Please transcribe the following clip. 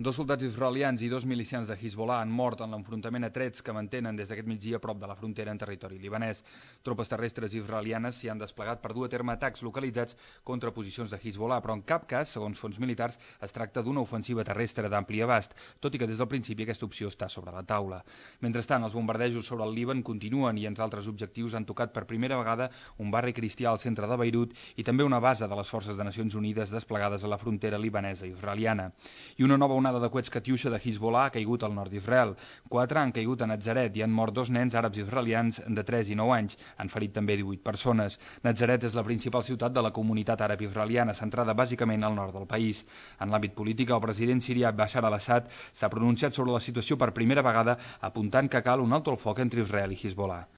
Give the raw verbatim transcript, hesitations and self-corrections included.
Dos soldats israelians i dos milicians de Hezbollah han mort en l'enfrontament a trets que mantenen des d'aquest migdia a prop de la frontera en territori libanès. Tropes terrestres israelianes s'hi han desplegat per dur a terme atacs localitzats contra posicions de Hezbollah, però en cap cas, segons fons militars, es tracta d'una ofensiva terrestre d'ampli abast, tot i que des del principi aquesta opció està sobre la taula. Mentrestant, els bombardejos sobre el Líban continuen i entre altres objectius han tocat per primera vegada un barri cristià al centre de Beirut i també una base de les forces de Nacions Unides desplegades a la frontera libanesa i israeliana. I una nova onada de coets Katiusha de Hezbollah ha caigut al nord d'Israel. Quatre han caigut a Natzaret i han mort dos nens àrabs israelians de tres i nou anys. Han ferit també divuit persones. Natzaret és la principal ciutat de la comunitat àrab israeliana, centrada bàsicament al nord del país. En l'àmbit polític, el president sirià Bashar al-Assad s'ha pronunciat sobre la situació per primera vegada, apuntant que cal un alto el foc entre Israel i Hezbollah.